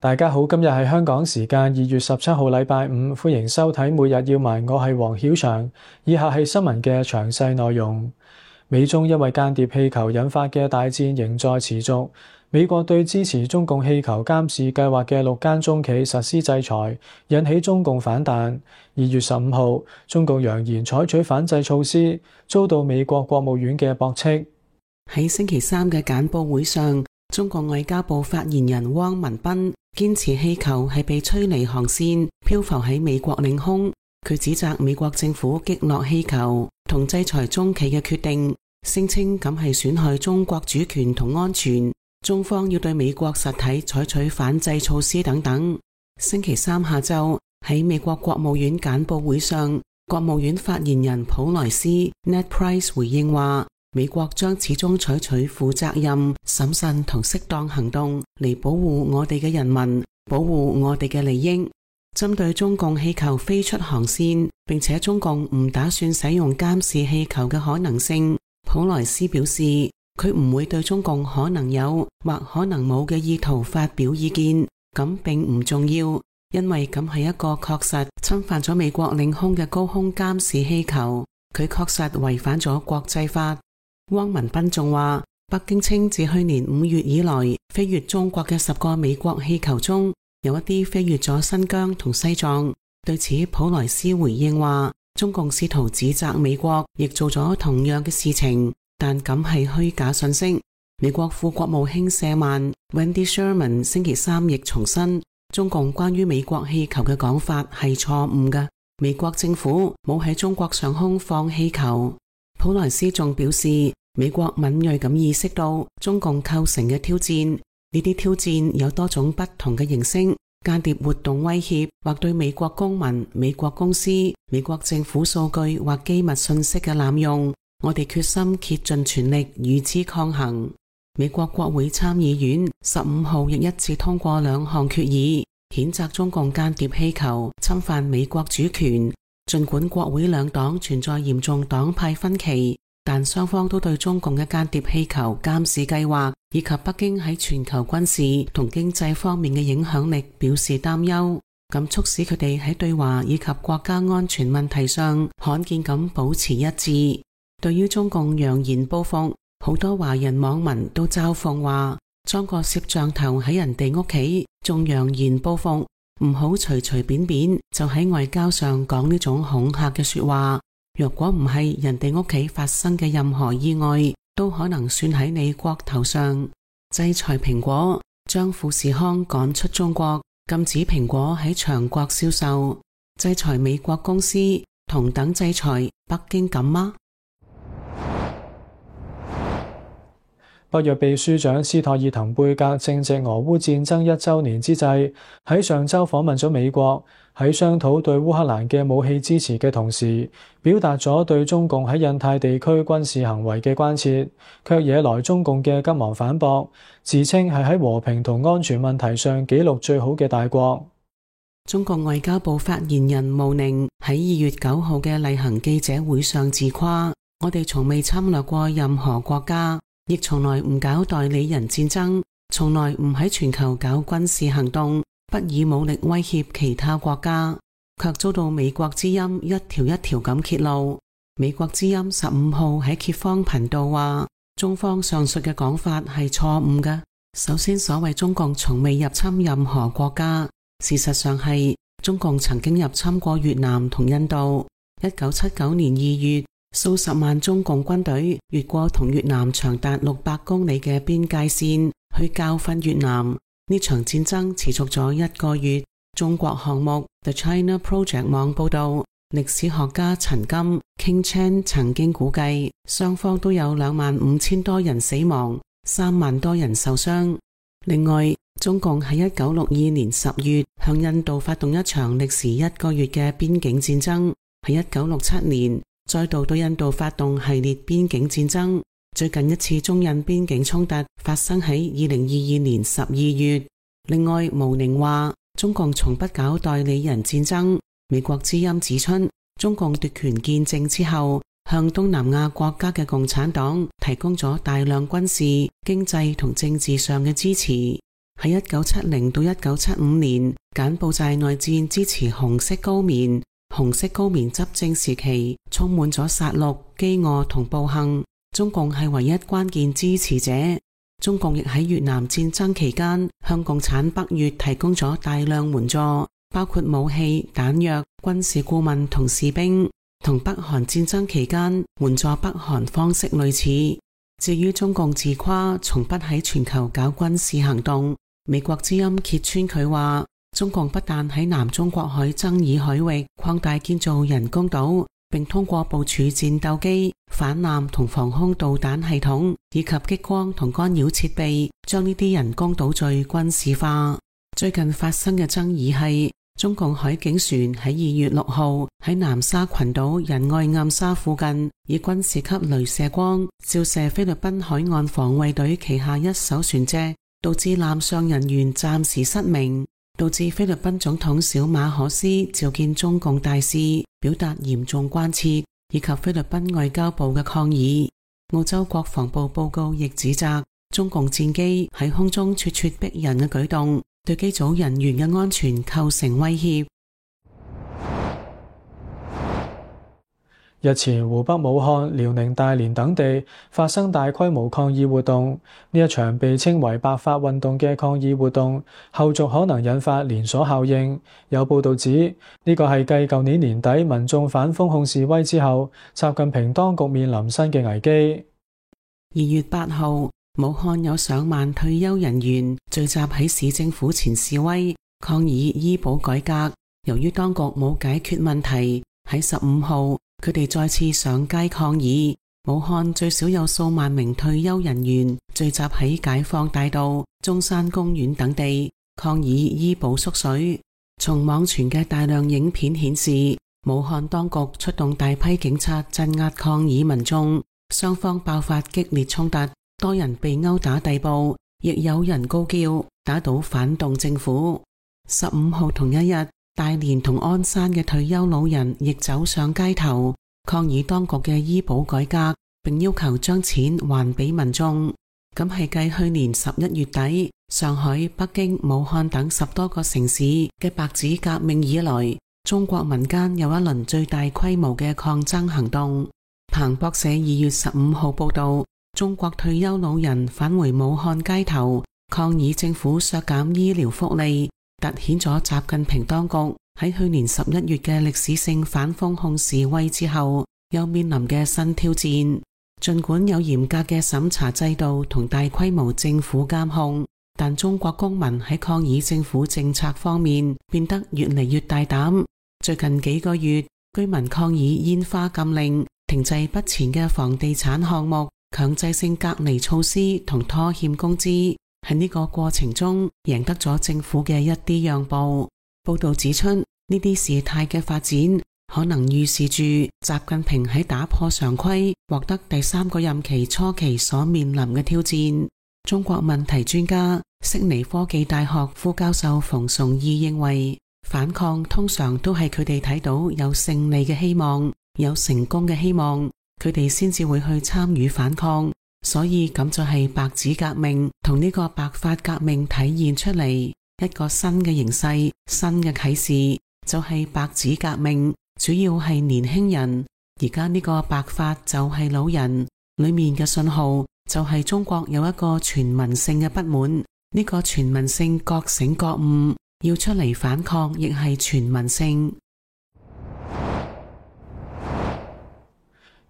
大家好，今日係香港時間2月17號禮拜五，歡迎收睇每日要聞，我係黃曉翔。以下係新聞嘅詳細內容。美中因為間諜氣球引發嘅大戰仍在持續。美國對支持中共氣球監視計劃嘅6間中企實施制裁，引起中共反彈。2月15號，中共揚言採取反制措施，遭到美國國務院嘅駁斥。喺星期三嘅簡報會上，中國外交部發言人汪文斌堅持氣球係被吹離航線，漂浮喺美國領空。佢指責美國政府擊落氣球同制裁中企嘅決定，聲稱咁係損害中國主權同安全，中方要對美國實體採取反制措施等等。星期三下晝喺美國國務院簡報會上，國務院發言人普萊斯 Ned Price 回應話，美國將始終採取負責任、審慎同適當行動嚟保護我哋嘅人民，保護我哋嘅利益。針對中共氣球飛出航線，並且中共唔打算使用監視氣球嘅可能性，普萊斯表示，佢唔會對中共可能有或可能冇嘅意圖發表意見，咁並唔重要，因為咁係一個確實侵犯咗美國領空嘅高空監視氣球，佢確實違反咗國際法。汪文斌仲話，北京稱自去年5月以來飛越中國嘅10個美國氣球中，有一啲飛越咗新疆同西藏。對此，普萊斯回應話，中共試圖指責美國亦做咗同樣嘅事情，但咁係虛假信息。美國副國務卿舍曼 Wendy Sherman 星期三亦重申，中共關於美國氣球嘅講法係錯誤嘅，美國政府冇喺中國上空放氣球。普萊斯仲表示，美國敏銳咁意識到中共構成嘅挑戰，呢啲挑戰有多種不同嘅形式，間諜活動威脅或對美國公民、美國公司、美國政府數據或機密信息嘅濫用，我哋決心竭盡全力與之抗衡。美國國會參議院15號亦一致通過2項決議，譴責中共間諜氣球侵犯美國主權。儘管國會兩黨存在嚴重黨派分歧，但雙方都對中共嘅間諜氣球監視計劃以及北京喺全球軍事同經濟方面嘅影響力表示擔憂，咁促使佢哋喺對華以及國家安全問題上罕見咁保持一致。對於中共揚言報復，好多華人網民都嘲諷話，裝個攝像頭喺人哋屋企仲揚言報復，唔好隨隨便便就喺外交上講呢種恐嚇嘅說話。若果唔係人哋屋企發生嘅任何意外，都可能算喺你國頭上。制裁蘋果，將富士康趕出中國，禁止蘋果喺長國銷售。制裁美國公司，同等制裁北京敢嗎？北約秘書長斯托爾滕貝格正值俄烏戰爭1週年之際，喺上週訪問咗美國，喺商討對烏克蘭嘅武器支持嘅同時，表達咗對中共喺印太地區軍事行為嘅關切，卻惹來中共嘅急忙反駁，自稱係喺和平同安全問題上紀錄最好嘅大國。中國外交部發言人毛寧喺2月9號嘅例行記者會上自誇，我哋從未侵略過任何國家，亦從來唔搞代理人戰爭，從來唔喺全球搞軍事行動，不以武力威脅其他國家，卻遭到美國之音一條一條咁揭露。美國之音15號喺揭方頻道話，中方上述嘅講法係錯誤嘅。首先，所謂中共從未入侵任何國家，事實上係中共曾經入侵過越南同印度。1979年2月，數十萬中共軍隊越過同越南長達600公里嘅邊界線，去教訓越南。呢場戰爭持續咗1個月。中國項目 The China Project 網報道，歷史學家陳金 King Chan 曾經估計，雙方都有25000多人死亡，3萬多人受傷。另外，中共喺1962年10月向印度發動一場歷時1個月嘅邊境戰爭，喺1967年再度對印度發動系列邊境戰爭。最近一次中印邊境衝突發生喺2022年12月。另外，毛寧話中共從不搞代理人戰爭。美國之音指出，中共奪權建政之後，向東南亞國家嘅共產黨提供咗大量軍事、經濟同政治上嘅支持。喺1970到1975年，柬埔寨內戰支持紅色高棉，紅色高棉執政時期充滿咗殺戮、飢餓同暴行，中共係唯一關鍵支持者。中共亦喺越南戰爭期間向共產北越提供咗大量援助，包括武器、彈藥、軍事顧問同士兵，同北韓戰爭期間援助北韓方式類似。至於中共自誇從不喺全球搞軍事行動，美國之音揭穿佢話，中共不但喺南中國海爭議海域擴大建造人工島，並通過部署戰鬥機、反艦同防空導彈系統以及激光同干擾設備，將呢啲人工島嶼軍事化。最近發生嘅爭議係，中共海警船喺2月6號喺南沙群島仁愛暗沙附近，以軍事級鐳射光照射菲律賓海岸防衛隊旗下一艘船隻，導致艦上人員暫時失明，導致菲律賓總統小馬可斯召見中共大使，表達嚴重關切，以及菲律賓外交部嘅抗議。澳洲國防部報告亦指責中共戰機喺空中咄咄逼人嘅舉動，對機組人員嘅安全構成威脅。日前，湖北武漢、遼寧大連等地發生大規模抗議活動，呢一場被稱為白髮運動嘅抗議活動，後續可能引發連鎖效應。有報道指，呢個係繼舊年年底民眾反封控示威之後，習近平當局面臨新嘅危機。2月8號，武漢有上萬退休人員聚集喺市政府前示威，抗議醫保改革。由於當局冇解決問題，喺15號，佢哋再次上街抗議。武漢最少有數萬名退休人員聚集喺解放大道、中山公園等地，抗議醫保縮水。從網傳嘅大量影片顯示，武漢當局出動大批警察鎮壓抗議民眾，雙方爆發激烈衝突，多人被毆打逮捕，亦有人高叫打倒反動政府。15號同一日，大連同鞍山嘅退休老人亦走上街頭，抗議當局嘅醫保改革，並要求將錢還俾民眾。咁係繼去年11月底上海、北京、武漢等10多個城市嘅白紙革命以來，中國民間有一輪最大規模嘅抗爭行動。彭博社2月15號報道，中國退休老人返回武漢街頭，抗議政府削減醫療福利，凸顯咗習近平當局喺去年11月嘅歷史性反封控示威之後，又面臨嘅新挑戰。盡管有嚴格嘅審查制度同大規模政府監控，但中國公民喺抗議政府政策方面變得越嚟越大膽。最近幾個月，居民抗議煙花禁令、停滯不前嘅房地產項目、強制性隔離措施同拖欠工資，喺呢個過程中贏得咗政府嘅一啲讓步。報道指出，呢啲事態嘅發展可能預示住習近平喺打破常規、獲得第3個任期初期所面臨嘅挑戰。中國問題專家、悉尼科技大學副教授馮崇義認為，反抗通常都係佢哋睇到有勝利嘅希望、有成功嘅希望，佢哋先至會去參與反抗。所以咁就係白紙革命同呢個白髮革命體現出嚟一個新嘅形勢、新嘅啟示，就係白紙革命主要係年輕人，而家呢個白髮就係老人。裏面嘅信號就係中國有一個全民性嘅不滿，呢個全民性覺醒覺悟，要出嚟反抗亦係全民性。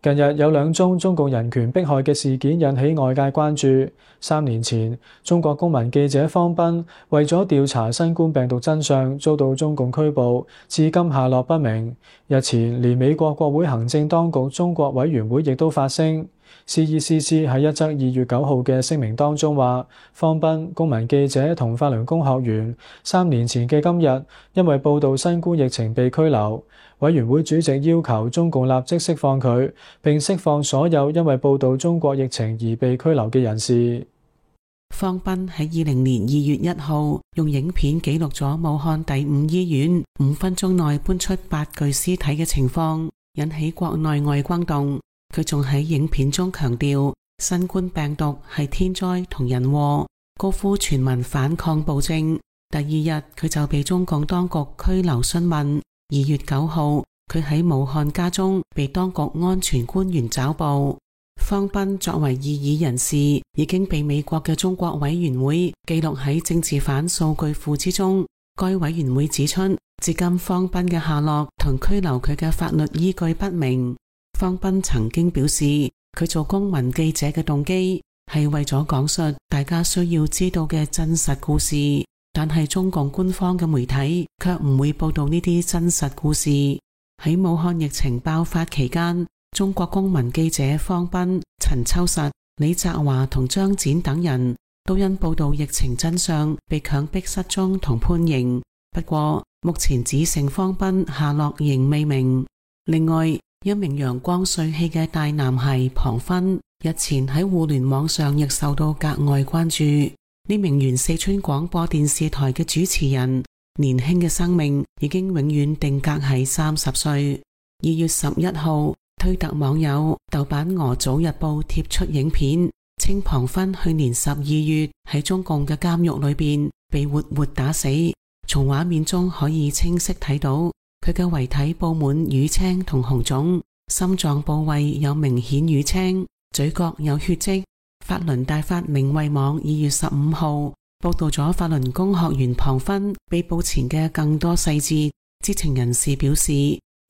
近日有2宗中共人權迫害嘅事件引起外界關注。3年前，中國公民記者方斌為咗調查新冠病毒真相，遭到中共拘捕，至今下落不明。日前，連美國國會行政當局中國委員會亦都發聲。CECC 喺一則2月9號嘅聲明當中話，方斌、公民記者同法輪功學員3年前嘅今日，因為報導新冠疫情被拘留。委員會主席要求中共立即釋放佢，並釋放所有因為報導中國疫情而被拘留嘅人士。方斌喺20年2月1號用影片記錄咗武漢第5醫院5分鐘內搬出8具屍體嘅情況，引起國內外轟動。佢仲喺影片中強調，新冠病毒係天災同人禍，高呼全民反抗暴政。第二日佢就被中共當局拘留詢問。2月9號，佢喺武漢家中被當局安全官員抓捕。方斌作為異議人士，已經被美國嘅中國委員會記錄喺政治犯數據庫之中。該委員會指出，至今方斌嘅下落同拘留佢嘅法律依據不明。方斌曾經表示，佢做公民記者嘅動機係為咗講述大家需要知道嘅真實故事，但係中共官方嘅媒體卻唔會報道呢啲真實故事。喺武漢疫情爆發期間，中國公民記者方斌、陳秋實、李澤華同張展等人都因報道疫情真相被強迫失蹤同判刑。不過目前只剩方斌下落仍未明。另外，一名陽光帥氣嘅大男孩龐勳日前喺互聯網上亦受到格外關注。呢名原四川廣播電視台嘅主持人，年輕嘅生命已經永遠定格喺30歲。2月11號，推特網友豆瓣俄組日報貼出影片，稱龐勳去年12月喺中共嘅監獄裏邊被活活打死。從畫面中可以清晰睇到佢嘅遺體布滿瘀青同紅腫，心臟部位有明顯瘀青，嘴角有血跡。法輪大法明慧網2月15號報道咗法輪功學員龐勳被捕前嘅更多細節。知情人士表示，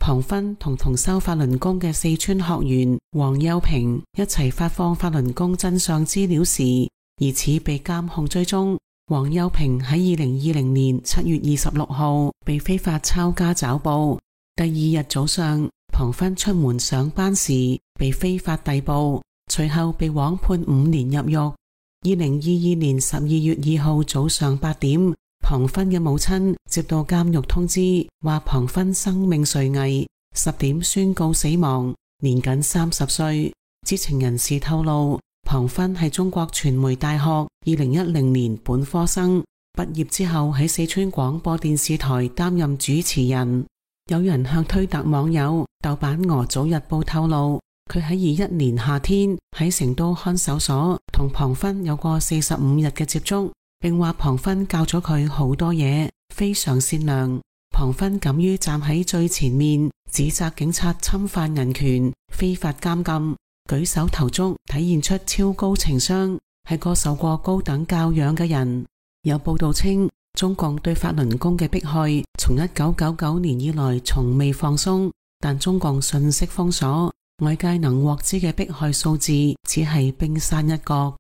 龐勳同修法輪功嘅四川學員黃幼平一齊發放法輪功真相資料時，疑似被監控追蹤。黃幼平喺2020年7月26號被非法抄家抓捕。第二日早上，龐勳出門上班時被非法逮捕，隨後被枉判5年入獄。2022年12月2號早上8點，龐勳嘅母親接到監獄通知，話龐勳生命垂危，10點宣告死亡，年僅30歲。知情人士透露，龐勳係中國傳媒大學2010年本科生，畢業之後喺四川廣播電視台擔任主持人。有人向推特網友豆瓣俄組日報透露，佢喺21年夏天喺成都看守所同龐勳有過45日嘅接觸，並話龐勳教咗佢好多嘢，非常善良。龐勳敢於站喺最前面，指責警察侵犯人權、非法監禁，舉手投足體現出超高情商，係個受過高等教養嘅人。有報道稱，中共對法輪功嘅迫害從1999年以來從未放鬆，但中共信息封鎖，外界能獲知嘅迫害數字只係冰山一角。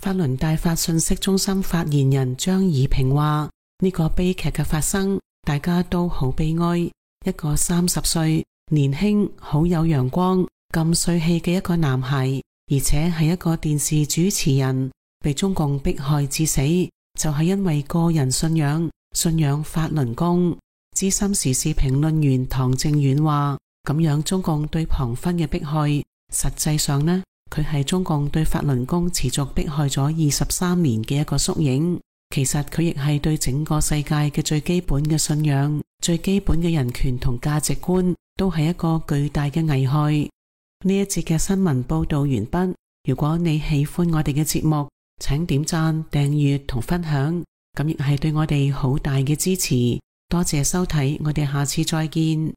法輪大法信息中心發言人張以平話，呢個悲劇嘅發生，大家都好悲哀。一個30歲年輕好有陽光咁帥氣嘅一個男孩，而且係一個電視主持人，被中共迫害致死，就係因為個人信仰法輪功。資深時事評論員唐正遠話，咁樣中共對龐勳嘅迫害，實際上呢，佢係中共對法輪功持續迫害咗23年嘅一個縮影。其實佢亦係對整個世界嘅最基本嘅信仰、最基本嘅人權同價值觀，都係一個巨大嘅危害。呢一節嘅新聞報道完畢。如果你喜歡我哋嘅節目，請點讚、訂閱同分享，咁亦係對我哋好大嘅支持。多謝收睇，我哋下次再見。